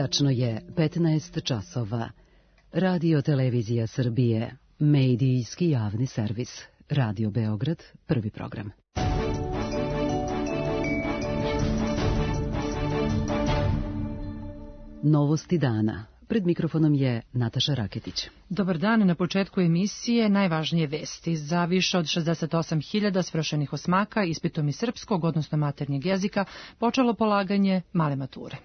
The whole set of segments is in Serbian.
Tačno je 15 časova. Radio Televizija Srbije, medijski javni servis. Radio Beograd, prvi program. Novosti dana. Pred mikrofonom je Nataša Raketić. Dobar dan, na početku emisije najvažnije vesti. Za više od 68.000 svršenih osmaka ispitom iz srpskog, odnosno maternjeg jezika, počelo polaganje male mature.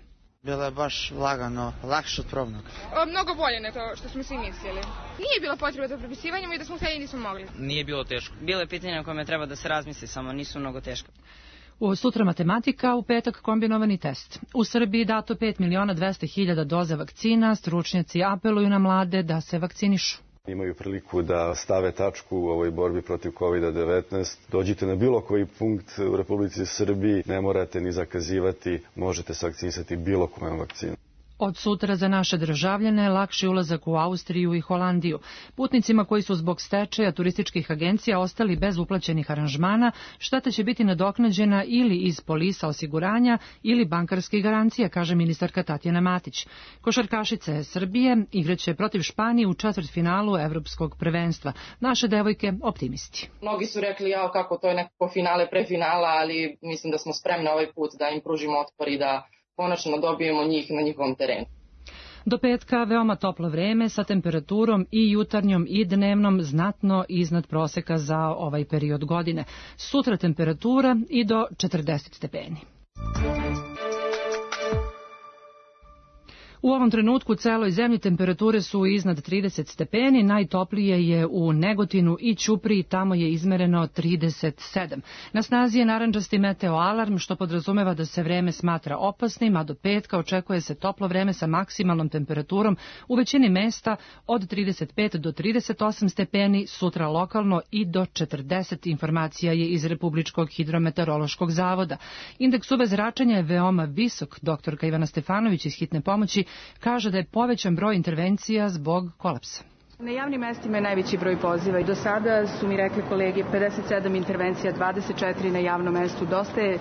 Bilo je baš lagano, lakše od probnog. Mnogo bolje nego što smo svi mislili. Nije bilo potrebe za prepisivanjem i da smo htjeli nismo mogli. Nije bilo teško. Bilo je pitanje o kome treba da se razmisli, samo nisu mnogo teško. Sutra matematika, u petak kombinovani test. U Srbiji dato 5.200.000 doza vakcina, stručnjaci apeluju na mlade da se vakcinišu. Imaju priliku da stave tačku u ovoj borbi protiv COVID-19. Dođite na bilo koji punkt u Republici Srbiji, ne morate ni zakazivati, možete se vakcinisati bilo kojom vakcinom. Od sutra za naše državljane lakši ulazak u Austriju i Holandiju. Putnicima koji su zbog stečaja turističkih agencija ostali bez uplaćenih aranžmana, šteta će biti nadoknađena ili iz polisa osiguranja ili bankarskih garancija, kaže ministarka Tatjana Matić. Košarkašice Srbije igraće protiv Španije u četvrtfinalu evropskog prvenstva. Naše devojke optimisti. Mnogi su rekli kako to je nekako finale pre finala, ali mislim da smo spremni ovaj put da im pružimo otpor i da konačno dobijemo njih na njihovom terenu. Do petka veoma toplo vreme sa temperaturom i jutarnjom i dnevnom znatno iznad proseka za ovaj period godine. Sutra temperatura i do 40 stepeni. U ovom trenutku u celoj zemlji temperature su iznad 30 stepeni, najtoplije je u Negotinu i Ćupriji, tamo je izmereno 37. Na snazi je narandžasti meteo alarm, što podrazumeva da se vreme smatra opasnim, a do petka očekuje se toplo vreme sa maksimalnom temperaturom u većini mesta od 35 do 38 stepeni, sutra lokalno i do 40. Informacija je iz Republičkog hidrometeorološkog zavoda. Indeks UV zračenja je veoma visok. Doktorka Ivana Stefanović iz Hitne pomoći kaže da je povećan broj intervencija zbog kolapsa. Na javnim mestima je najveći broj poziva i do sada su mi rekli kolege 57 intervencija, 24 na javnom mestu. Dosta je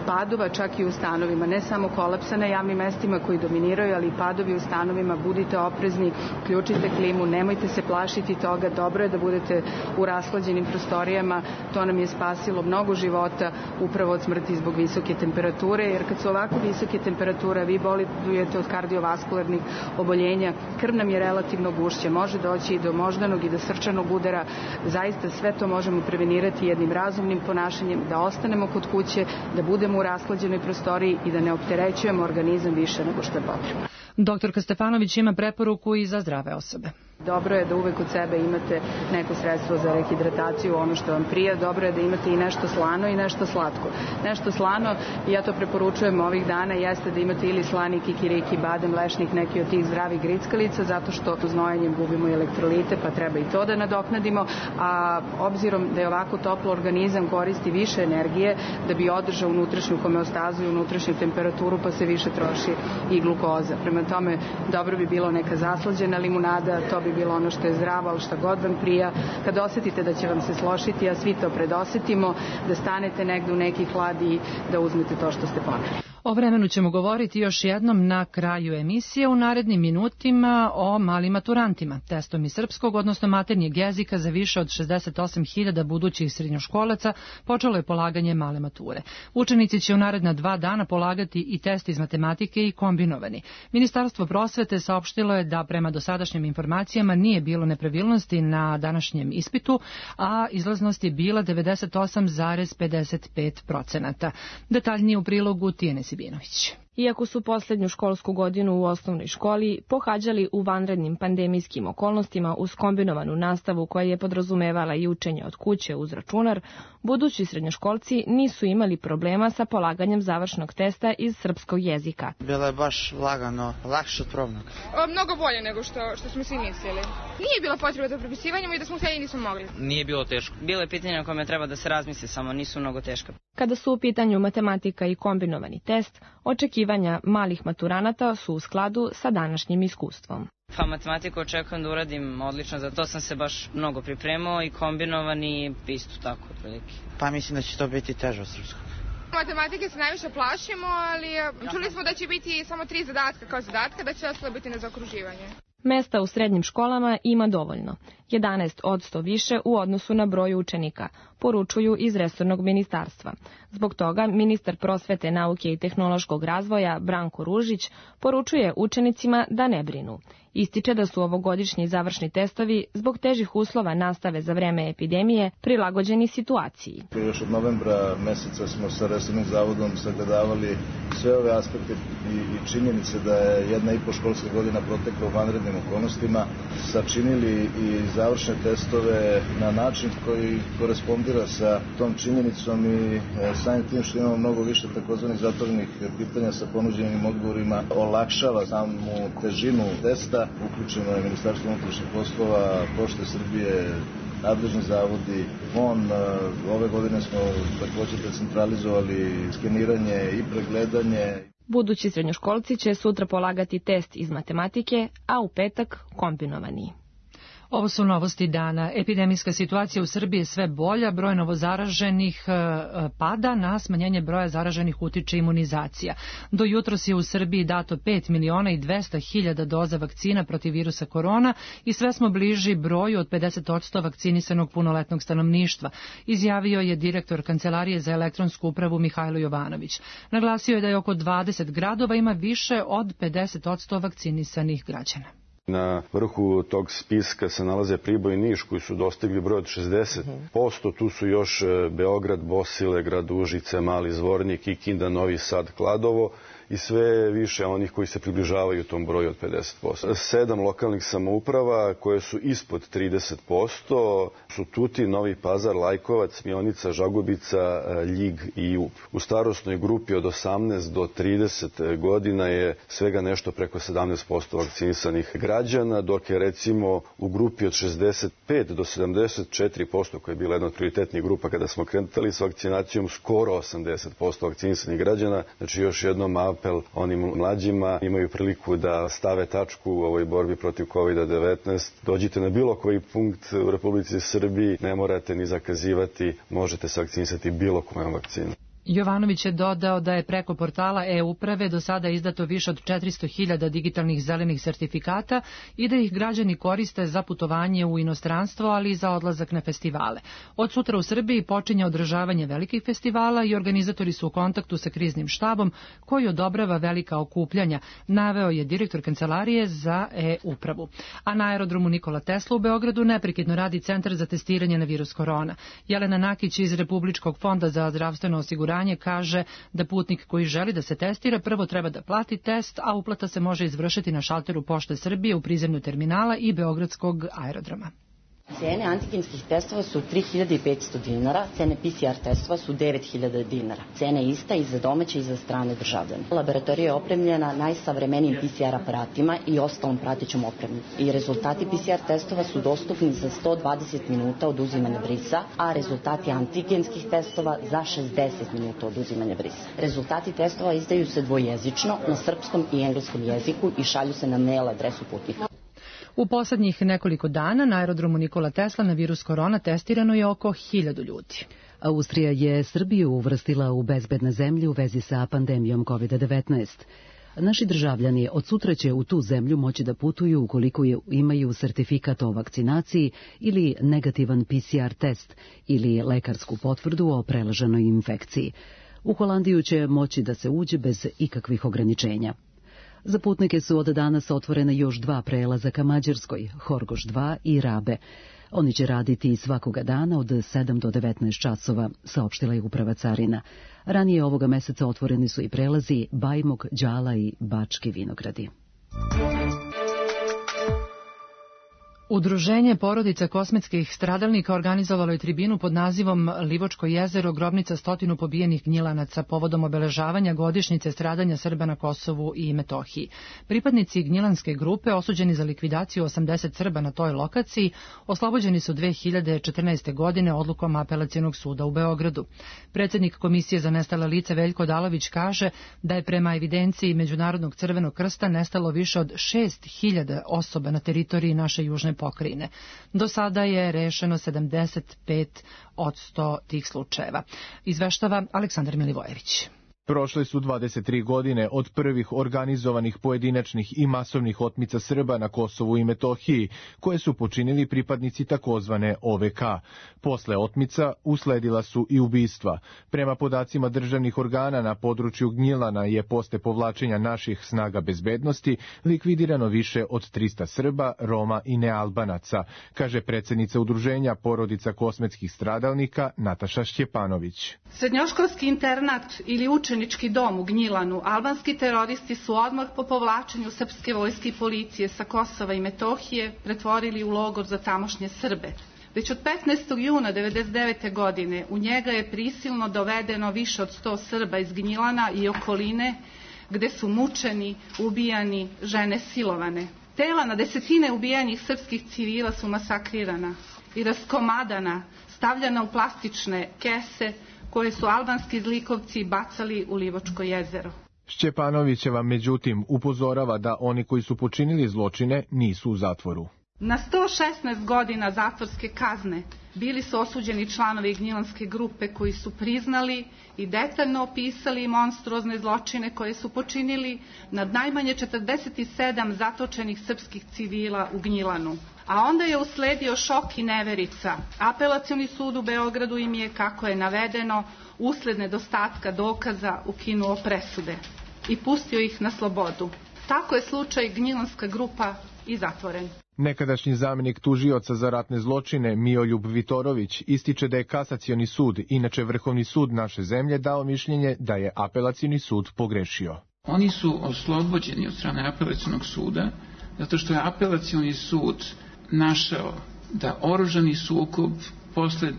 padova čak i u stanovima, ne samo kolapsa na javnim mestima koji dominiraju, ali i padovi u stanovima. Budite oprezni, ključite klimu, nemojte se plašiti toga. Dobro je da budete u rashlađenim prostorijama, to nam je spasilo mnogo života upravo od smrti zbog visoke temperature, jer kad su ovako visoke temperature, vi bolujete od kardiovaskularnih oboljenja, krv nam je relativno gušća, može doći i do moždanog i do srčanog udara. Zaista sve to možemo prevenirati jednim razumnim ponašanjem, da ostanemo kod kuće, da budemo u rashlađenoj prostoriji i da ne opterećujemo organizam više nego što je potrebno. Doktorka Stefanović ima preporuku i za zdrave osobe. Dobro je da uvek kod sebe imate neko sredstvo za rehidrataciju, ono što vam prija. Dobro je da imate i nešto slano i nešto slatko. Nešto slano, ja to preporučujem ovih dana, jeste da imate ili slani kikiriki, badem, lešnik, neki od tih zdravih grickalica, zato što znojenjem gubimo elektrolite, pa treba i to da nadoknadimo. A obzirom da je ovako toplo, organizam koristi više energije da bi održao unutrašnju homeostazu i unutrašnju temperaturu, pa se više troši i glukoza. Prema tome, dobro bi bilo neka zaslađena limunada, to bi bilo ono što je zdravo, ali šta god vam prija. Kad osetite da će vam se složiti, a svi to predosetimo, da stanete negde u neki hlad i da uzmete to što ste poneli. O vremenu ćemo govoriti još jednom na kraju emisije u narednim minutima o malim maturantima. Testom iz srpskog, odnosno maternjeg jezika za više od 68.000 budućih srednjoškolaca počelo je polaganje male mature. Učenici će u naredna 2 dana polagati i test iz matematike i kombinovani. Ministarstvo prosvete saopštilo je da prema dosadašnjim informacijama nije bilo nepravilnosti na današnjem ispitu, a izlaznost je bila 98,55%. Detaljnije u prilogu Tijene Sibinović. Iako su poslednju školsku godinu u osnovnoj školi pohađali u vanrednim pandemijskim okolnostima uz kombinovanu nastavu koja je podrazumevala i učenje od kuće uz računar, budući srednjoškolci nisu imali problema sa polaganjem završnog testa iz srpskog jezika. Bilo je baš lagano, lakše od probnog. Mnogo bolje nego što smo svi mislili. Nije bilo potrebe za prepisivanjem i da smo htjeli nismo mogli. Nije bilo teško. Bilo je pitanje o kome treba da se razmisli, samo nisu mnogo teška. Kada su u pitanju matematika i kombinovani test, očekivanja malih maturanata su u skladu sa današnjim iskustvom. Pa matematiku očekujem da uradim odlično, za to sam se baš mnogo pripremao i kombinovani isto tako otprilike. Pa mislim da će to biti teže od srpskog. Matematike se najviše plašimo, ali čuli smo da će biti samo 3 zadatka kao zadatka, da će ostalo biti na zaokruživanje. Mesta u srednjim školama ima dovoljno, 11% više u odnosu na broj učenika, poručuju iz resornog ministarstva. Zbog toga ministar prosvete, nauke i tehnološkog razvoja Branko Ružić poručuje učenicima da ne brinu. Ističe da su ovogodišnji završni testovi zbog težih uslova nastave za vreme epidemije prilagođeni situaciji. Još od novembra meseca smo sa resornim zavodom sagledavali sve ove aspekte i činjenice da je 1,5 školska godina protekla u vanrednim okolnostima, sačinili i završne testove na način koji korespondira sa tom činjenicom i samim tim što imamo mnogo više takozvanih zatvorenih pitanja sa ponuđenim odgovorima, olakšava samu težinu testa. Uključeno je Ministarstvo unutrašnjih poslova, Pošte Srbije, nadležni zavodi, FON. Ove godine smo također decentralizovali skeniranje i pregledanje. Budući srednjoškolci će sutra polagati test iz matematike, a u petak kombinovani. Ovo su novosti dana. Epidemijska situacija u Srbiji je sve bolja, broj novozaraženih pada, na smanjenje broja zaraženih utiče imunizacija. Do jutros je u Srbiji dato 5.200.000 doza vakcina protiv virusa korona i sve smo bliži broju od 50% vakcinisanog punoletnog stanovništva, izjavio je direktor Kancelarije za elektronsku upravu Mihajlo Jovanović. Naglasio je da je oko 20 gradova ima više od 50% vakcinisanih građana. Na vrhu tog spiska se nalaze Priboj i Niš koji su dostigli broj od 60%. Tu su još Beograd, Bosilegrad, Užice, Mali Zvornik, Kikinda, Novi Sad, Kladovo i sve više onih koji se približavaju tom broju od 50%. 7 lokalnih samouprava koje su ispod 30% su Tutin, Novi Pazar, Lajkovac, Mionica, Žagubica, Ljig i Ub. U starosnoj grupi od 18 do 30 godina je svega nešto preko 17% vakcinisanih građana, dok je recimo u grupi od 65 do 74%, koja je bila jedna od prioritetnih grupa kada smo krenuli s vakcinacijom, skoro 80% vakcinisanih građana. Znači još jednom apel onim mlađima, imaju priliku da stave tačku u ovoj borbi protiv COVID-19. Dođite na bilo koji punkt u Republici Srbiji, ne morate ni zakazivati, možete se vakcinisati bilo kojom vakcinom. Jovanović je dodao da je preko portala e-uprave do sada izdato više od 400.000 digitalnih zelenih sertifikata i da ih građani koriste za putovanje u inostranstvo, ali i za odlazak na festivale. Od sutra u Srbiji počinje održavanje velikih festivala i organizatori su u kontaktu sa kriznim štabom koji odobrava velika okupljanja, naveo je direktor Kancelarije za e-upravu. A na aerodromu Nikola Tesla u Beogradu neprekidno radi centar za testiranje na virus korona. Jelena Nakić iz Republičkog fonda za zdravstveno osiguranje kaže da putnik koji želi da se testira prvo treba da plati test, a uplata se može izvršiti na šalteru Pošte Srbije u prizemlju terminala i Beogradskog aerodroma. Cene antigenskih testova su 3.500 dinara, cene PCR testova su 9.000 dinara. Cena je ista i za domaće i za strane državljane. Laboratorija je opremljena najsavremenijim PCR aparatima i ostalom pratećom opremom. I rezultati PCR testova su dostupni za 120 minuta od uzimanja brisa, a rezultati antigenskih testova za 60 minuta od uzimanja brisa. Rezultati testova izdaju se dvojezično, na srpskom i engleskom jeziku i šalju se na mail adresu putnika. U poslednjih nekoliko dana na aerodromu Nikola Tesla na virus korona testirano je oko 1000 ljudi. Austrija je Srbiju uvrstila u bezbedne zemlje u vezi sa pandemijom COVID-19. Naši državljani od sutra će u tu zemlju moći da putuju ukoliko imaju sertifikat o vakcinaciji ili negativan PCR test ili lekarsku potvrdu o preleženoj infekciji. U Holandiju će moći da se uđe bez ikakvih ograničenja. Za putnike su od danas otvorena još 2 prelaza ka Mađarskoj, Horgoš 2 i Rabe. Oni će raditi svakoga dana od 7 do 19 časova, saopštila je uprava carina. Ranije ovoga meseca otvoreni su i prelazi Bajmok, Đala i Bački Vinogradi. Udruženje porodica kosmetskih stradalnika organizovalo je tribinu pod nazivom Livočko jezero, grobnica 100 pobijenih gnjilanaca povodom obeležavanja godišnjice stradanja Srba na Kosovu i Metohiji. Pripadnici gnjilanske grupe, osuđeni za likvidaciju 80 Srba na toj lokaciji, oslobođeni su 2014. godine odlukom Apelacionog suda u Beogradu. Predsjednik Komisije za nestala lica Veljko Dalović kaže da je prema evidenciji Međunarodnog crvenog krsta nestalo više od 6.000 osoba na teritoriji naše južne pokrajine. Do sada je rešeno 75% tih slučajeva. Izveštava Aleksandar Milivojević. Prošle su 23 godine od prvih organizovanih pojedinačnih i masovnih otmica Srba na Kosovu i Metohiji, koje su počinili pripadnici takozvane OVK. Posle otmica usledila su i ubistva. Prema podacima državnih organa na području Gnjilana je posle povlačenja naših snaga bezbednosti likvidirano više od 300 Srba, Roma i nealbanaca, kaže predsednica udruženja porodica kosmetskih stradalnika Nataša Šćepanović. Srednjoškolski internat ili učenički dom u Gnjilanu albanski teroristi su odmah po povlačenju srpske vojske i policije sa Kosova i Metohije pretvorili u logor za tamošnje Srbe. Već od 15. juna 1999. godine u njega je prisilno dovedeno više od 100 Srba iz Gnjilana i okoline, gde su mučeni, ubijani, žene silovane. Tela na desetine ubijenih srpskih civila su masakrirana i raskomadana, stavljana u plastične kese, koje su albanski zlikovci bacali u Livočko jezero. Šćepanovićeva međutim upozorava da oni koji su počinili zločine nisu u zatvoru. Na 116 godina zatvorske kazne bili su osuđeni članovi Gnjilanske grupe koji su priznali i detaljno opisali monstruozne zločine koje su počinili nad najmanje 47 zatočenih srpskih civila u Gnjilanu. A onda je usledio šok i neverica. Apelacioni sud u Beogradu im je, kako je navedeno, usled nedostatka dokaza ukinuo presude i pustio ih na slobodu. Tako je slučaj Gnjilanska grupa i zatvoren. Nekadašnji zamenik tužioca za ratne zločine Mijoljub Vitorović ističe da je kasacioni sud, inače Vrhovni sud naše zemlje, dao mišljenje da je apelacioni sud pogrešio. Oni su oslobođeni od strane apelacionog suda zato što je apelacioni sud našao da oružani sukob posle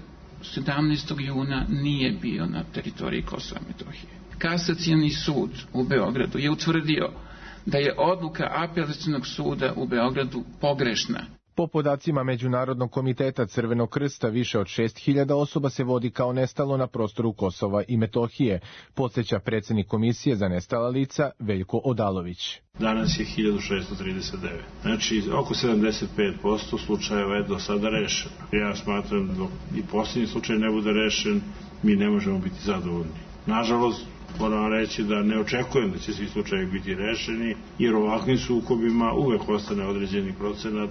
17. juna nije bio na teritoriji Kosova i Metohije. Kasacioni sud u Beogradu je utvrdio da je odluka apelacionog suda u Beogradu pogrešna. Po podacima Međunarodnog komiteta Crvenog krsta, više od 6.000 osoba se vodi kao nestalo na prostoru Kosova i Metohije, podsjeća predsjednik Komisije za nestala lica Veljko Odalović. Danas je 1639. Znači, oko 75% slučajeva je do sada rešeno. Ja smatram da i posljednji slučaj ne bude rešen, mi ne možemo biti zadovoljni. Nažalost, moram reći da ne očekujem da će svi slučajevi biti rešeni, jer u ovakvim sukobima uvek ostane određeni procenat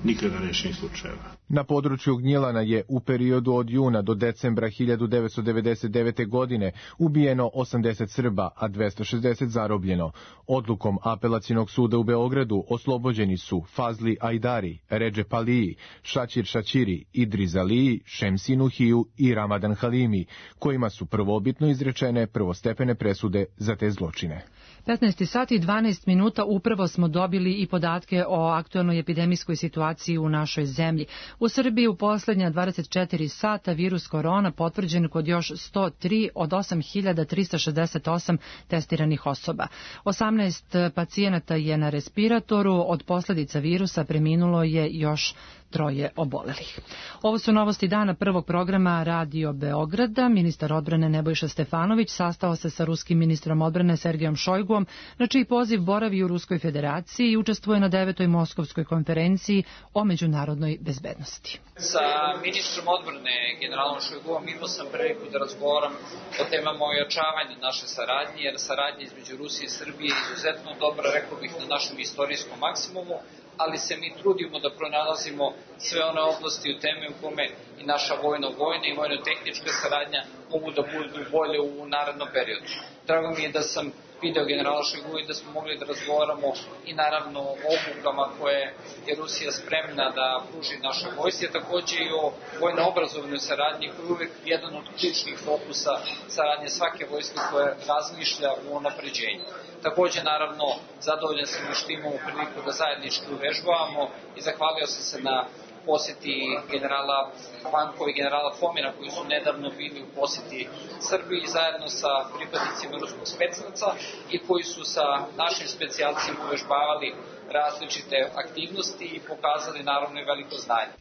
nikada rešenih slučajeva. Na području Gnjilana je u periodu od juna do decembra 1999. godine ubijeno 80 Srba, a 260 zarobljeno. Odlukom apelacionog suda u Beogradu oslobođeni su Fazli Ajdari, Redžep Aliji, Šaćir Šaćiri, Idriz Aliji, Šemsi Nuhiju i Ramadan Halimi, kojima su prvobitno izrečene prvostepene presude za te zločine. 15 sati i 12 minuta upravo smo dobili i podatke o aktualnoj epidemijskoj situaciji u našoj zemlji. U Srbiji u poslednja 24 sata virus korona potvrđen kod još 103 od 8.368 testiranih osoba. 18 pacijenata je na respiratoru, od posledica virusa preminulo je još 3 obolelih. Ovo su novosti dana prvog programa Radio Beograda. Ministar odbrane Nebojša Stefanović sastao se sa ruskim ministrom odbrane Sergejom Šojguom, na čiji poziv boravi u Ruskoj federaciji i učestvuje na 9. Moskovskoj konferenciji o međunarodnoj bezbednosti. Sa ministrom odbrane generalom Šojguom imao sam priliku da razgovaram o temama ojačavanja naše saradnje, jer saradnja između Rusije i Srbije je izuzetno dobra, rekao bih, na našem istorijskom maksimumu, ali se mi trudimo da pronalazimo sve one oblasti u teme u kome i naša vojna i vojno-tehnička saradnja mogu da budu bolje u narednom periodu. Drago mi je da sam video generala Šojgu i da smo mogli da razgovaramo i naravno o obukama koje je Rusija spremna da pruži našoj vojsci, a takođe i o vojno-obrazovnoj saradnji koji je uvek jedan od ključnih fokusa saradnje svake vojske koja razmišlja u unapređenju. Takođe, naravno, zadovoljan sam što imamo priliku da zajednički uvežbavamo i zahvalio sam se na poseti generala Pankova i generala Fomina koji su nedavno bili u poseti Srbiji zajedno sa pripadnicima ruskog specnaca i koji su sa našim specijalcima uvežbavali različite aktivnosti i pokazali naravno i veliko znanje.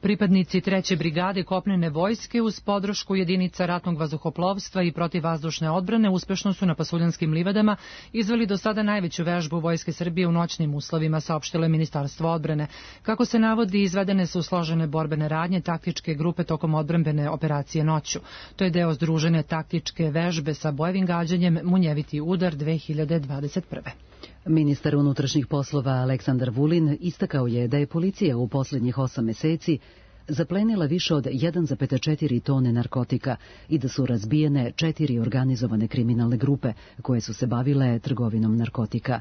Pripadnici 3. brigade kopnene vojske uz podršku jedinica ratnog vazduhoplovstva i protivvazdušne odbrane uspešno su na Pasuljanskim livadama izveli do sada najveću vežbu Vojske Srbije u noćnim uslovima, saopštilo je Ministarstvo odbrane. Kako se navodi, izvedene su složene borbene radnje taktičke grupe tokom odbrambene operacije noću. To je deo združene taktičke vežbe sa bojevim gađanjem Munjeviti udar 2021. Ministar unutrašnjih poslova Aleksandar Vulin istakao je da je policija u posljednjih 8 meseci zaplenila više od 1,4 tone narkotika i da su razbijene 4 organizovane kriminalne grupe koje su se bavile trgovinom narkotika.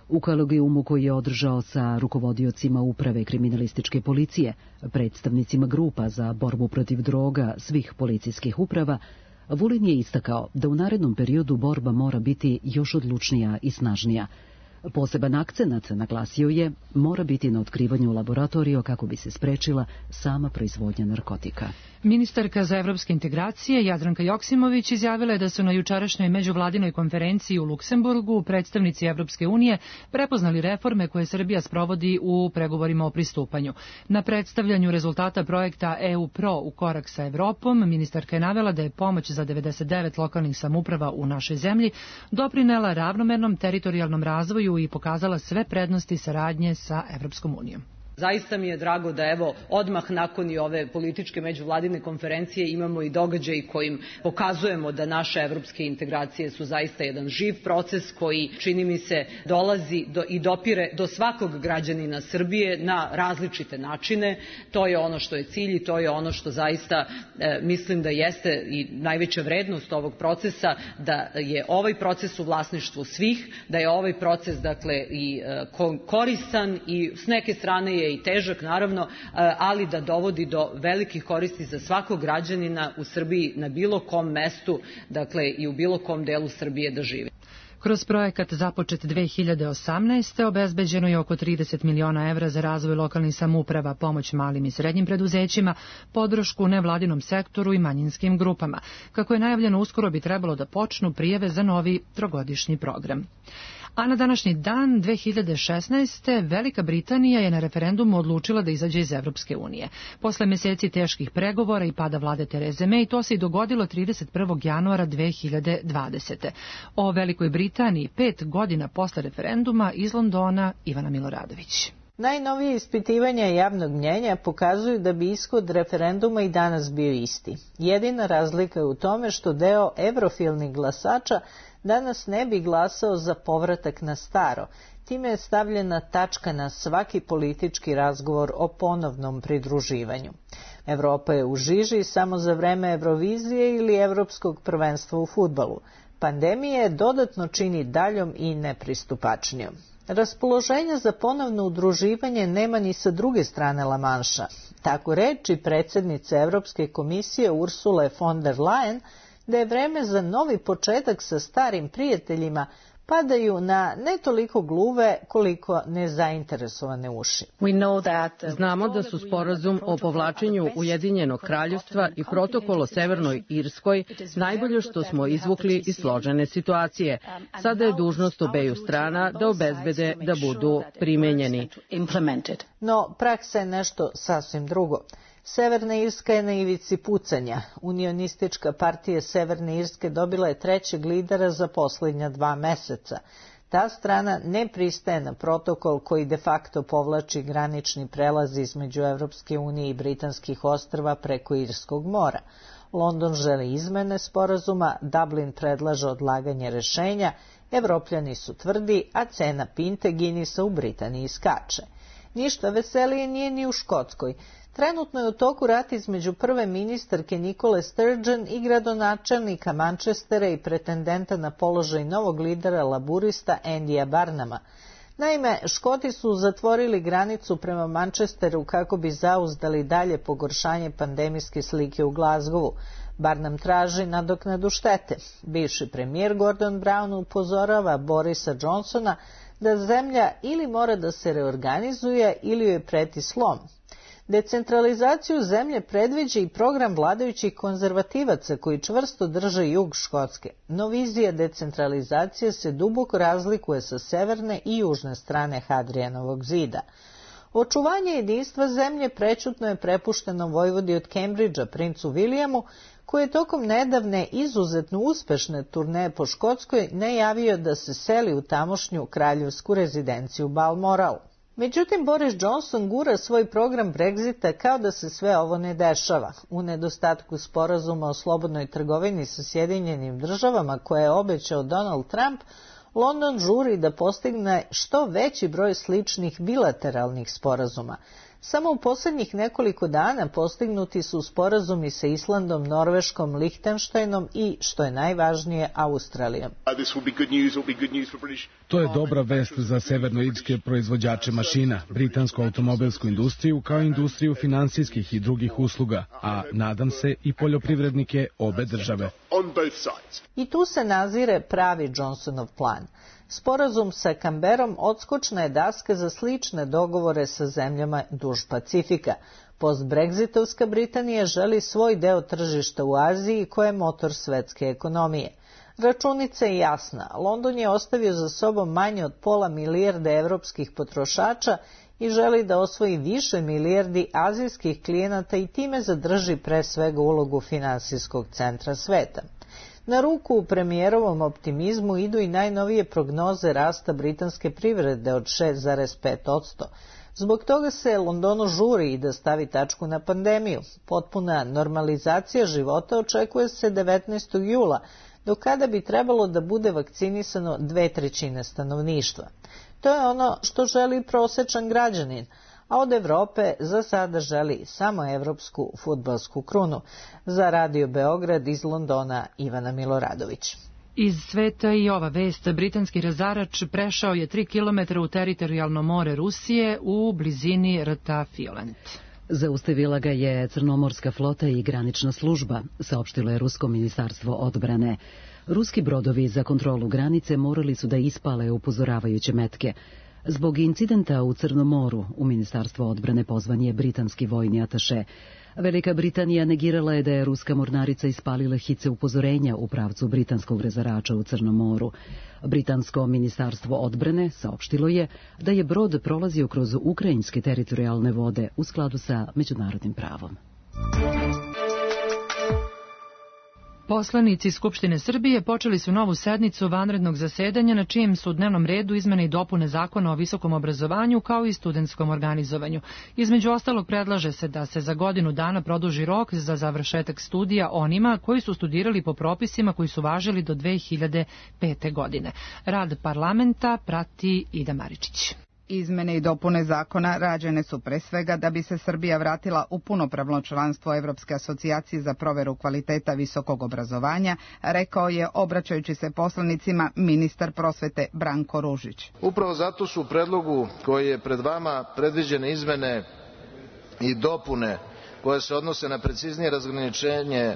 U kolegijumu koji je održao sa rukovodiocima uprave kriminalističke policije, predstavnicima grupa za borbu protiv droga svih policijskih uprava, Vulin je istakao da u narednom periodu borba mora biti još odlučnija i snažnija. Poseban akcenat, naglasio je, mora biti na otkrivanju laboratorija kako bi se sprečila sama proizvodnja narkotika. Ministarka za evropske integracije Jadranka Joksimović izjavila je da su na jučerašnjoj međuvladinoj konferenciji u Luksemburgu predstavnici Evropske unije prepoznali reforme koje Srbija sprovodi u pregovorima o pristupanju. Na predstavljanju rezultata projekta EU Pro u korak sa Evropom, ministarka je navela da je pomoć za 99 lokalnih samouprava u našoj zemlji doprinela ravnomernom teritorijalnom razvoju i pokazala sve prednosti saradnje sa Evropskom unijom. Zaista mi je drago da odmah nakon i ove političke međuvladine konferencije imamo i događaj kojim pokazujemo da naše evropske integracije su zaista jedan živ proces koji, čini mi se, dolazi i dopire do svakog građanina Srbije na različite načine. To je ono što je cilj i to je ono što zaista mislim da jeste i najveća vrednost ovog procesa, da je ovaj proces u vlasništvu svih, da je ovaj proces i koristan i s neke strane je i težak, naravno, ali da dovodi do velikih koristi za svakog građanina u Srbiji na bilo kom mestu, i u bilo kom delu Srbije da živi. Kroz projekat započet 2018. obezbeđeno je oko 30 miliona evra za razvoj lokalnih samouprava, pomoć malim i srednjim preduzećima, podršku nevladinom sektoru i manjinskim grupama. Kako je najavljeno, uskoro bi trebalo da počnu prijave za novi trogodišnji program. A na današnji dan 2016. Velika Britanija je na referendumu odlučila da izađe iz Evropske unije. Posle meseci teških pregovora i pada vlade Tereze May, to se i dogodilo 31. januara 2020. O Velikoj Britaniji 5 godina posle referenduma iz Londona Ivana Miloradović. Najnovije ispitivanja javnog mnjenja pokazuju da bi ishod referenduma i danas bio isti. Jedina razlika je u tome što deo evrofilnih glasača danas ne bi glasao za povratak na staro. Time je stavljena tačka na svaki politički razgovor o ponovnom pridruživanju. Evropa je u žiži samo za vreme Eurovizije ili Evropskog prvenstva u fudbalu. Pandemija je dodatno čini daljom i nepristupačnijom. Raspoloženja za ponovno udruživanje nema ni sa druge strane Lamanša. Tako reči predsjednice Evropske komisije Ursule von der Leyen da je vreme za novi početak sa starim prijateljima padaju na ne toliko gluve koliko nezainteresovane uši. Znamo da su sporazum o povlačenju Ujedinjenog kraljevstva i protokol o Severnoj Irskoj najbolje što smo izvukli iz složene situacije. Sada je dužnost obeju strana da obezbede da budu primenjeni. No, praksa je nešto sasvim drugo. Severna Irska je na ivici pucanja. Unionistička partija Severne Irske dobila je trećeg lidera za posljednja 2 meseca. Ta strana ne pristaje na protokol koji de facto povlači granični prelaz između Evropske unije i Britanskih ostrva preko Irskog mora. London želi izmene sporazuma, Dublin predlaže odlaganje rešenja, Evropljani su tvrdi, a cena pinte Guinnessa u Britaniji skače. Ništa veselije nije ni u Škotskoj. Trenutno je u toku rat između prve ministarke Nicole Sturgeon i gradonačelnika Manchestera i pretendenta na položaj novog lidera laburista Andyja Barnuma. Naime, Škoti su zatvorili granicu prema Manchesteru kako bi zauzdali dalje pogoršanje pandemijske slike u Glasgowu. Barnum traži nadoknadu štete. Bivši premijer Gordon Brown upozorava Borisa Johnsona da zemlja ili mora da se reorganizuje ili joj preti slom. Decentralizaciju zemlje predviđa i program vladajućih konzervativaca koji čvrsto drže jug Škotske. No vizija decentralizacije se duboko razlikuje sa severne i južne strane Hadrijanovog zida. Očuvanje jedinstva zemlje prećutno je prepušteno vojvodi od Cambridgea, princu Williamu, koji je tokom nedavne izuzetno uspešne turneje po Škotskoj najavio da se seli u tamošnju kraljevsku rezidenciju Balmoral. Međutim, Boris Johnson gura svoj program Brexita kao da se sve ovo ne dešava. U nedostatku sporazuma o slobodnoj trgovini sa Sjedinjenim državama koje je obećao Donald Trump, London žuri da postigne što veći broj sličnih bilateralnih sporazuma. Samo u posljednjih nekoliko dana postignuti su sporazumi sa Islandom, Norveškom, Lihtenštajnom i, što je najvažnije, Australijom. To je dobra vest za severnoirske proizvođače mašina, britansku automobilsku industriju kao industriju finansijskih i drugih usluga, a nadam se i poljoprivrednike obe države. I tu se nazire pravi Johnsonov plan. Sporazum sa Canberom odskočna je daska za slične dogovore sa zemljama duž Pacifika. Post-brexitovska Britanija želi svoj deo tržišta u Aziji koje je motor svetske ekonomije. Računica je jasna. London je ostavio za sobom manje od pola milijarde evropskih potrošača i želi da osvoji više milijardi azijskih klijenata i time zadrži pre svega ulogu finansijskog centra sveta. Na ruku u premijerovom optimizmu idu i najnovije prognoze rasta britanske privrede od 6,5%. Zbog toga se Londonu žuri i da stavi tačku na pandemiju. Potpuna normalizacija života očekuje se 19. jula, do kada bi trebalo da bude vakcinisano 2/3 stanovništva. To je ono što želi prosečan građanin, a od Evrope za sada želi samo evropsku fudbalsku krunu. Za Radio Beograd iz Londona Ivana Miloradović. Iz sveta i ova vest. Britanski razarač prešao je 3 km u teritorijalno more Rusije u blizini rta Fiolent. Zaustavila ga je Crnomorska flota i granična služba, saopštilo je Rusko ministarstvo odbrane. Ruski brodovi za kontrolu granice morali su da ispale upozoravajuće metke. Zbog incidenta u Crnom moru u Ministarstvo odbrane pozvan je britanski vojni ataše. Velika Britanija negirala je da je ruska mornarica ispalila hice upozorenja u pravcu britanskog razarača u Crnom moru. Britansko ministarstvo odbrane saopštilo je da je brod prolazio kroz ukrajinske teritorijalne vode u skladu sa međunarodnim pravom. Poslanici Skupštine Srbije počeli su novu sednicu vanrednog zasedanja na čijem su dnevnom redu izmene i dopune Zakona o visokom obrazovanju kao i studentskom organizovanju. Između ostalog predlaže se da se za godinu dana produži rok za završetak studija onima koji su studirali po propisima koji su važili do 2005. godine. Rad parlamenta prati Ida Maričić. Izmene i dopune zakona rađene su pre svega da bi se Srbija vratila u punopravno članstvo Evropske asocijacije za proveru kvaliteta visokog obrazovanja, rekao je, obraćajući se poslanicima, ministar prosvete Branko Ružić. Upravo zato su u predlogu koji je pred vama predviđene izmene i dopune koje se odnose na preciznije razgraničenje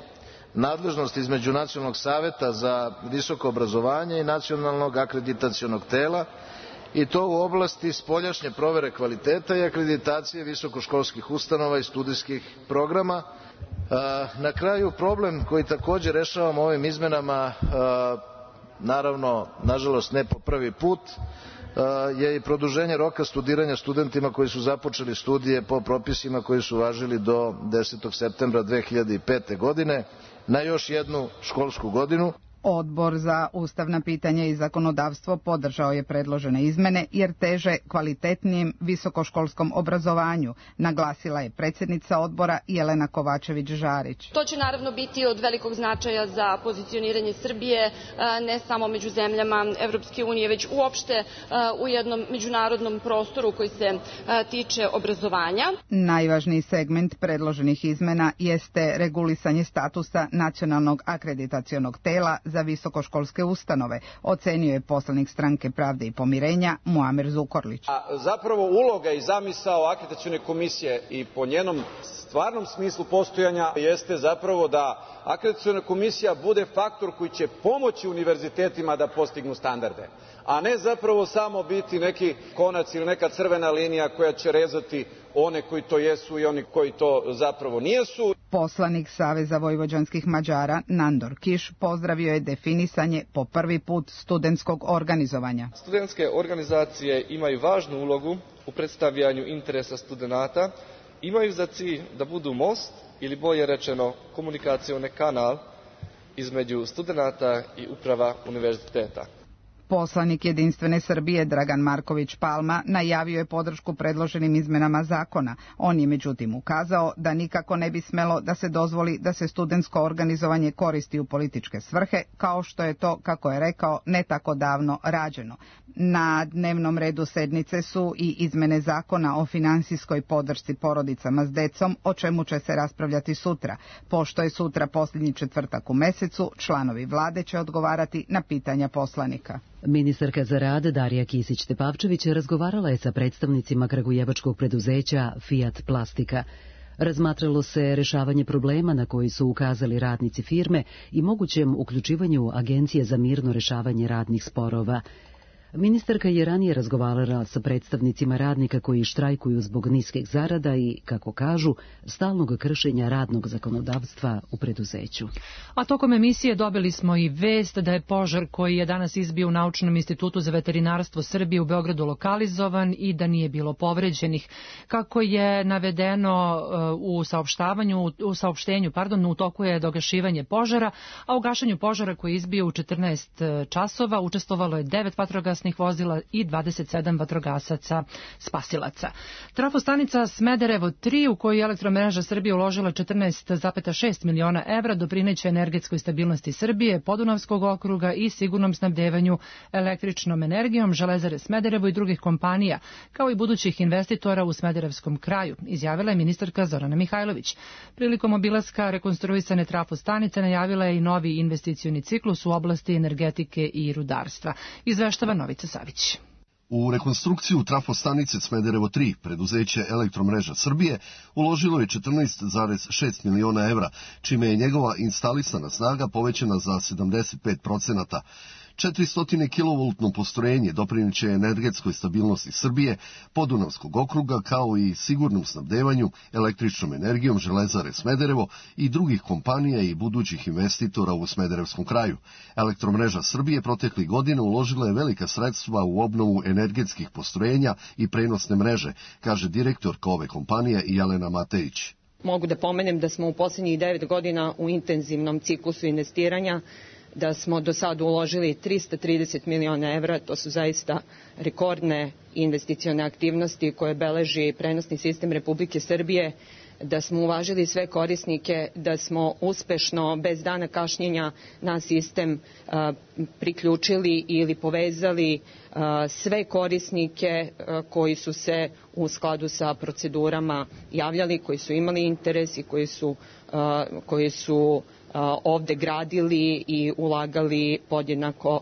nadležnosti između Nacionalnog saveta za visoko obrazovanje i Nacionalnog akreditacionog tela, i to u oblasti spoljašnje provere kvaliteta i akreditacije visokoškolskih ustanova i studijskih programa. Na kraju, problem koji također rešavamo ovim izmenama, naravno, nažalost ne po prvi put, je i produženje roka studiranja studentima koji su započeli studije po propisima koji su važili do 10. septembra 2005. godine na još jednu školsku godinu. Odbor za ustavna pitanja i zakonodavstvo podržao je predložene izmene jer teže kvalitetnijem visokoškolskom obrazovanju, naglasila je predsjednica odbora Jelena Kovačević-Žarić. To će naravno biti od velikog značaja za pozicioniranje Srbije ne samo među zemljama Evropske unije, već uopšte u jednom međunarodnom prostoru koji se tiče obrazovanja. Najvažniji segment predloženih izmena jeste regulisanje statusa Nacionalnog akreditacionog tela za visokoškolske ustanove, ocenio je poslanik Stranke pravde i pomirenja Muamer Zukorlić. Zapravo uloga i zamisao akreditacione komisije i po njenom stvarnom smislu postojanja jeste zapravo da akreditaciona komisija bude faktor koji će pomoći univerzitetima da postignu standarde, a ne zapravo samo biti neki konac ili neka crvena linija koja će rezati one koji to jesu i oni koji to zapravo nijesu. Poslanik Saveza vojvođanskih Mađara Nandor Kiš pozdravio je definisanje po prvi put studentskog organizovanja. Studentske organizacije imaju važnu ulogu u predstavljanju interesa studenata, imaju za cilj da budu most ili bolje rečeno komunikacioni kanal između studenata i uprava univerziteta. Poslanik Jedinstvene Srbije Dragan Marković Palma najavio je podršku predloženim izmenama zakona. On je međutim ukazao da nikako ne bi smelo da se dozvoli da se studentsko organizovanje koristi u političke svrhe, kao što je to, kako je rekao, ne tako davno rađeno. Na dnevnom redu sednice su i izmene zakona o finansijskoj podršci porodicama s decom, o čemu će se raspravljati sutra. Pošto je sutra posljednji četvrtak u mesecu, članovi vlade će odgovarati na pitanja poslanika. Ministarka za rad Darija Kisić-Tepavčević razgovarala je sa predstavnicima kragujevačkog preduzeća Fiat Plastika. Razmatralo se rešavanje problema na koji su ukazali radnici firme i mogućem uključivanju Agencije za mirno rešavanje radnih sporova. Ministarka je ranije razgovarala sa predstavnicima radnika koji štrajkuju zbog niskih zarada i, kako kažu, stalnog kršenja radnog zakonodavstva u preduzeću. A tokom emisije dobili smo i vest da je požar koji je danas izbio u Naučnom institutu za veterinarstvo Srbije u Beogradu lokalizovan i da nije bilo povređenih. Kako je navedeno u saopštenju, u toku je dogašivanje požara, a u gašenju požara koji je izbio u 14 časova učestvovalo je 9 vatrogasnih vozila i 27 vatrogasaca spasilaca. Trafostanica Smederevo 3, u koju je Elektromreža Srbije uložila 14,6 miliona evra, doprineće energetskoj stabilnosti Srbije, Podunavskog okruga i sigurnom snabdevanju električnom energijom Železare Smederevo i drugih kompanija, kao i budućih investitora u Smederevskom kraju, izjavila je ministarka Zorana Mihajlović. Prilikom obilaska rekonstruisane trafostanice najavila je i novi investicioni ciklus u oblasti energetike i rudarstva. Izveštava Novica Savić. U rekonstrukciju trafostanice Smederevo 3 preduzeće Elektromreža Srbije uložilo je 14,6 miliona evra, čime je njegova instalisana snaga povećana za 75%. 400 kV postrojenje dopriniće energetskoj stabilnosti Srbije, Podunavskog okruga, kao i sigurnom snabdevanju električnom energijom Železare Smederevo i drugih kompanija i budućih investitora u Smederevskom kraju. Elektromreža Srbije proteklih godina uložila je velika sredstva u obnovu energetskih postrojenja i prenosne mreže, kaže direktorka ove kompanije Jelena Matejić. Mogu da pomenem da smo u posljednjih 9 godina u intenzivnom ciklusu investiranja, da smo do sada uložili 330 miliona evra, to su zaista rekordne investicione aktivnosti koje beleži prenosni sistem Republike Srbije, da smo uvažili sve korisnike, da smo uspešno, bez dana kašnjenja, na sistem priključili ili povezali sve korisnike koji su se u skladu sa procedurama javljali, koji su imali interes i koji su ovde gradili i ulagali podjednako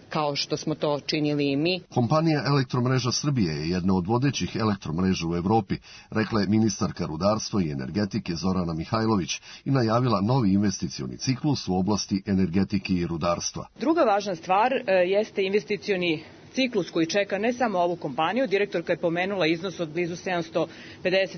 kao što smo to činili i mi. Kompanija Elektromreža Srbije je jedna od vodećih elektromreža u Evropi, rekla je ministarka rudarstva i energetike Zorana Mihajlović i najavila novi investicioni ciklus u oblasti energetike i rudarstva. Druga važna stvar jeste investicioni ciklus koji čeka ne samo ovu kompaniju. Direktorka je pomenula iznos od blizu 750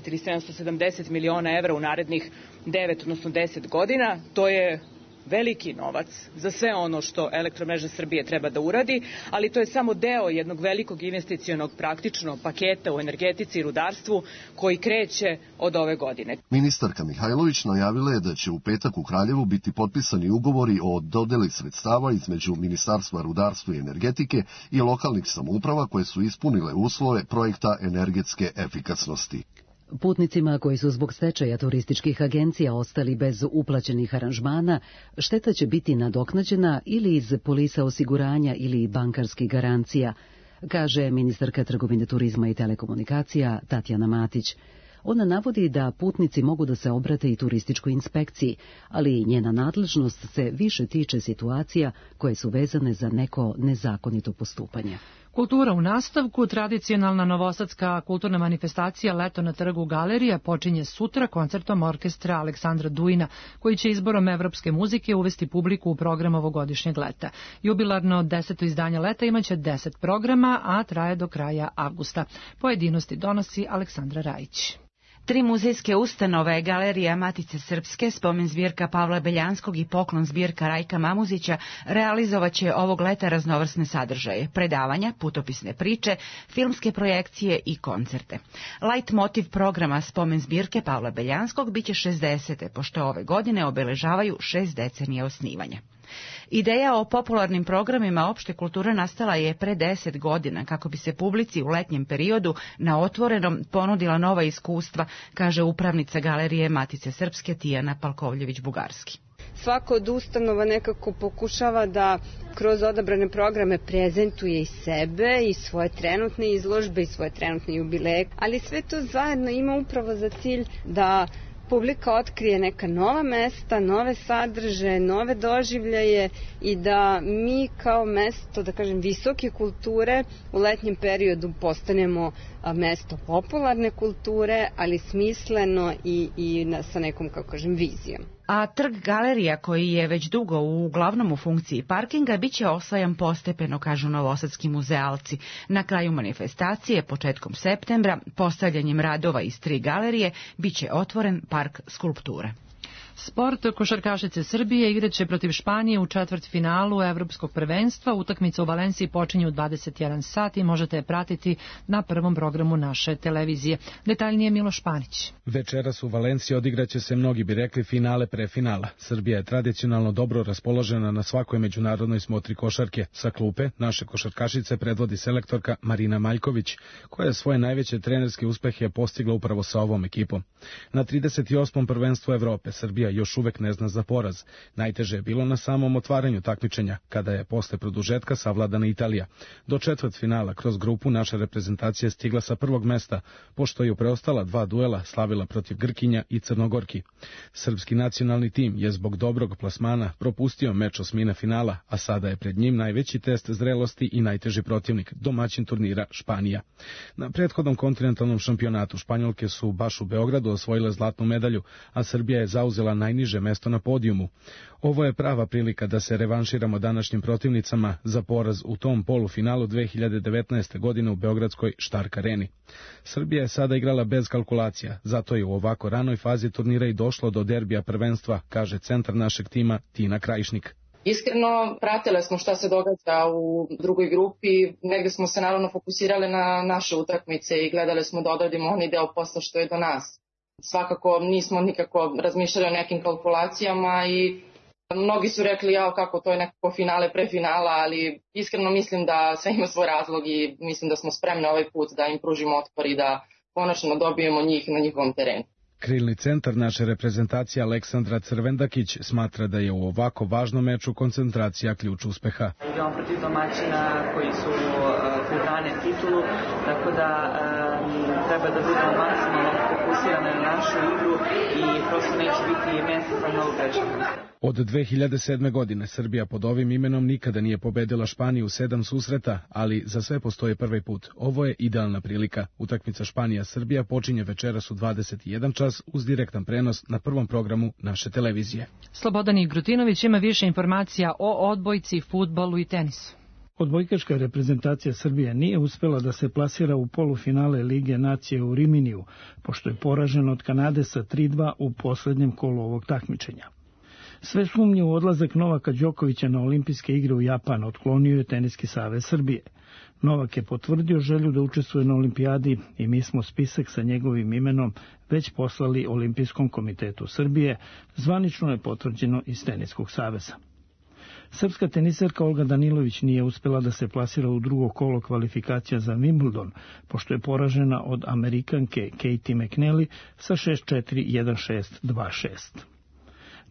ili 770 miliona evra u narednih 9, odnosno 10 godina. To je veliki novac za sve ono što Elektromreža Srbije treba da uradi, ali to je samo deo jednog velikog investicionog praktično paketa u energetici i rudarstvu koji kreće od ove godine. Ministarka Mihajlović najavila je da će u petak u Kraljevu biti potpisani ugovori o dodeli sredstava između Ministarstva rudarstva i energetike i lokalnih samouprava koje su ispunile uslove projekta energetske efikasnosti. Putnicima koji su zbog stečaja turističkih agencija ostali bez uplaćenih aranžmana, šteta će biti nadoknađena ili iz polisa osiguranja ili bankarskih garancija, kaže ministarka trgovine, turizma i telekomunikacija Tatjana Matić. Ona navodi da putnici mogu da se obrate i turističkoj inspekciji, ali njena nadležnost se više tiče situacija koje su vezane za neko nezakonito postupanje. Kultura u nastavku, tradicionalna novosadska kulturna manifestacija Leto na trgu Galerija počinje sutra koncertom orkestra Aleksandra Dujina, koji će izborom evropske muzike uvesti publiku u program ovogodišnjeg leta. Jubilarno 10. izdanje leta imaće 10 programa, a traje do kraja avgusta. Pojedinosti donosi Aleksandra Rajić. 3 muzejske ustanove, Galerija Matice Srpske, spomen zbirka Pavla Beljanskog i poklon zbirka Rajka Mamuzića realizovaće ovog leta raznovrsne sadržaje, predavanja, putopisne priče, filmske projekcije i koncerte. Light motiv programa spomen zbirke Pavla Beljanskog biće 60. pošto ove godine obeležavaju 6 decenija osnivanja. Ideja o popularnim programima opšte kulture nastala je pre 10 godina kako bi se publici u letnjem periodu na otvorenom ponudila nova iskustva, kaže upravnica Galerije Matice Srpske Tijana Palkovljević-Bugarski. Svaka od ustanova nekako pokušava da kroz odabrane programe prezentuje i sebe i svoje trenutne izložbe i svoje trenutne jubileje, ali sve to zajedno ima upravo za cilj da publika otkrije neka nova mesta, nove sadržaje, nove doživljaje i da mi kao mesto, da kažem, visoke kulture u letnjem periodu postanemo mesto popularne kulture, ali smisleno i sa nekom, kako kažem, vizijom. A trg galerija, koji je već dugo uglavnom u funkciji parkinga, biće osvajan postepeno, kažu novosadski muzealci. Na kraju manifestacije, početkom septembra, postavljanjem radova iz 3 galerije, biće otvoren park skulpture. Sport, košarkašice Srbije igraće protiv Španije u četvrtfinalu Evropskog prvenstva. Utakmica u Valenciji počinje u 21 sat i možete je pratiti na prvom programu naše televizije. Detaljnije Miloš Panić. Večeras u Valenciji odigraće se, mnogi bi rekli, finale pre finala. Srbija je tradicionalno dobro raspoložena na svakoj međunarodnoj smotri košarke. Sa klupe naše košarkašice predvodi selektorka Marina Maljković, koja je svoje najveće trenerske uspehe postigla upravo sa ovom ekipom. Na 38. prvenstvu Evrope Srbija još uvek ne zna za poraz. Najteže je bilo na samom otvaranju takmičenja, kada je posle produžetka savladana Italija. Do četvrtfinala kroz grupu naša reprezentacija stigla sa prvog mesta, pošto je u preostala 2 duela slavila protiv Grkinja i Crnogorki. Srpski nacionalni tim je zbog dobrog plasmana propustio meč osmine finala, a sada je pred njim najveći test zrelosti i najteži protivnik, domaćin turnira Španija. Na prethodnom kontinentalnom šampionatu Španjolke su baš u Beogradu osvojile zlatnu medalju, a Srbija je zauzela najniže mesto na podijumu. Ovo je prava prilika da se revanširamo današnjim protivnicama za poraz u tom polufinalu 2019. godine u beogradskoj Štark areni. Srbija je sada igrala bez kalkulacija, zato je u ovako ranoj fazi turnira i došlo do derbija prvenstva, kaže centar našeg tima Tina Krajišnik. Iskreno, pratile smo šta se događa u drugoj grupi, negde smo se naravno fokusirali na naše utakmice i gledali smo da odradimo onaj deo posla što je do nas. Svakako nismo nikako razmišljali o nekim kalkulacijama i mnogi su rekli kako to je nekako finale pre finala, ali iskreno mislim da sve ima svoj razlog i mislim da smo spremni ovaj put da im pružimo otpor i da konačno dobijemo njih na njihovom terenu. Krilni centar naše reprezentacije Aleksandra Crvendakić smatra da je u ovako važnom meču koncentracija ključ uspeha. Igramo protiv domaćina koji su brane titulu, tako da treba da budemo maksimalno fokusirani na našu igru i prosto neće biti mjesta za novu grešku. Od 2007. godine Srbija pod ovim imenom nikada nije pobedila Španiju u 7 susreta, ali za sve postoji prvi put. Ovo je idealna prilika. Utakmica Španija-Srbija počinje večeras u 21 čas uz direktan prenos na prvom programu naše televizije. Slobodan Igrutinović ima više informacija o odbojci, fudbalu i tenisu. Odbojkaška reprezentacija Srbije nije uspela da se plasira u polufinale Lige nacije u Riminiju, pošto je poražena od Kanade sa 3:2 u poslednjem kolu ovog takmičenja. Sve sumnje u odlazak Novaka Đokovića na olimpijske igre u Japan otklonio je Teniski savez Srbije. Novak je potvrdio želju da učestvuje na olimpijadi i mi smo spisak sa njegovim imenom već poslali Olimpijskom komitetu Srbije, zvanično je potvrđeno iz Teniskog saveza. Srpska teniserka Olga Danilović nije uspela da se plasira u drugo kolo kvalifikacija za Wimbledon, pošto je poražena od Amerikanke Katie McNally sa 6-4, 1-6, 2-6.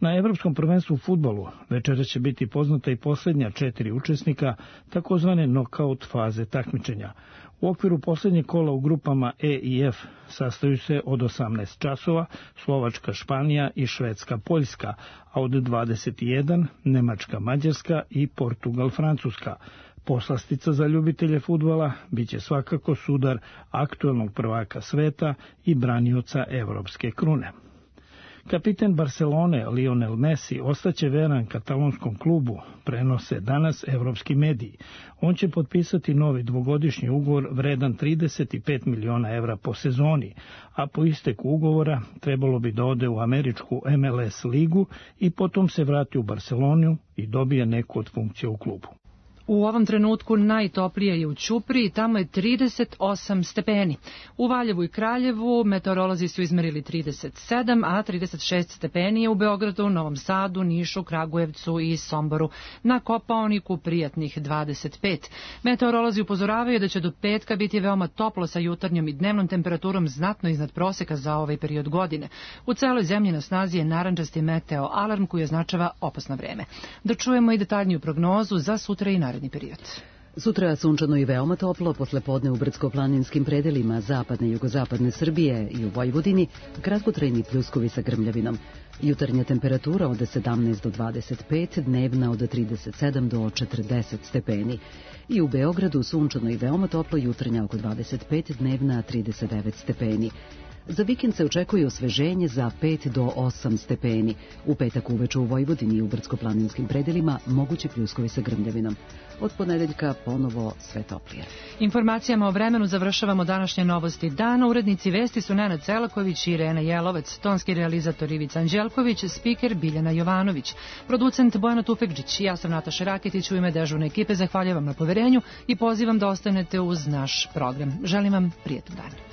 Na Evropskom prvenstvu u fudbalu večera će biti poznata i posljednja 4 učesnika takozvane nokaut faze takmičenja. U okviru posljednjeg kola u grupama E i F sastaju se od 18 časova Slovačka, Španija i Švedska, Poljska, a od 21 Nemačka, Mađarska i Portugal, Francuska. Poslastica za ljubitelje fudbala biće svakako sudar aktuelnog prvaka sveta i branioca evropske krune. Kapiten Barcelone Lionel Messi ostaće veran katalonskom klubu, prenose danas evropski mediji. On će potpisati novi dvogodišnji ugovor vredan 35 miliona evra po sezoni, a po isteku ugovora trebalo bi da ode u američku MLS ligu i potom se vrati u Barcelonu i dobije neku od funkcija u klubu. U ovom trenutku najtoplije je u Ćupriji, tamo je 38 stepeni. U Valjevu i Kraljevu meteorolozi su izmerili 37, a 36 stepeni je u Beogradu, Novom Sadu, Nišu, Kragujevcu i Somboru. Na Kopaoniku prijatnih 25. Meteorolozi upozoravaju da će do petka biti veoma toplo sa jutarnjom i dnevnom temperaturom znatno iznad proseka za ovaj period godine. U celoj zemlji na snazi je narandžasti meteo alarm koji označava opasno vreme. Da čujemo i detaljniju prognozu za sutra i naredni period. Sutra sunčano i veoma toplo, posle podne u brdsko-planinskim predelima zapadne i jugozapadne Srbije i u Vojvodini, kratkotrajni pljuskovi sa grmljavinom. Jutarnja temperatura od 17 do 25, dnevna od 37 do 40 stepeni. I u Beogradu sunčano i veoma toplo, jutarnja oko 25, dnevna 39 stepeni. Za vikend se očekuje osveženje za 5 do 8 stepeni. U petak uveče u Vojvodini i u brdsko-planinskim predelima mogući pljuskovi sa grmljavinom. Od ponedeljka ponovo sve toplije. Informacijama o vremenu završavamo današnje novosti dana. Urednici vesti su Nenad Celaković i Irena Jelovac, tonski realizator Ivica Anđelković, spiker Biljana Jovanović, producent Bojana Tufekđić. Ja sam Nataša Raketić, u ime dežurne ekipe zahvaljujem vam na poverenju i pozivam da ostanete uz naš program. Želim vam prijatan dan.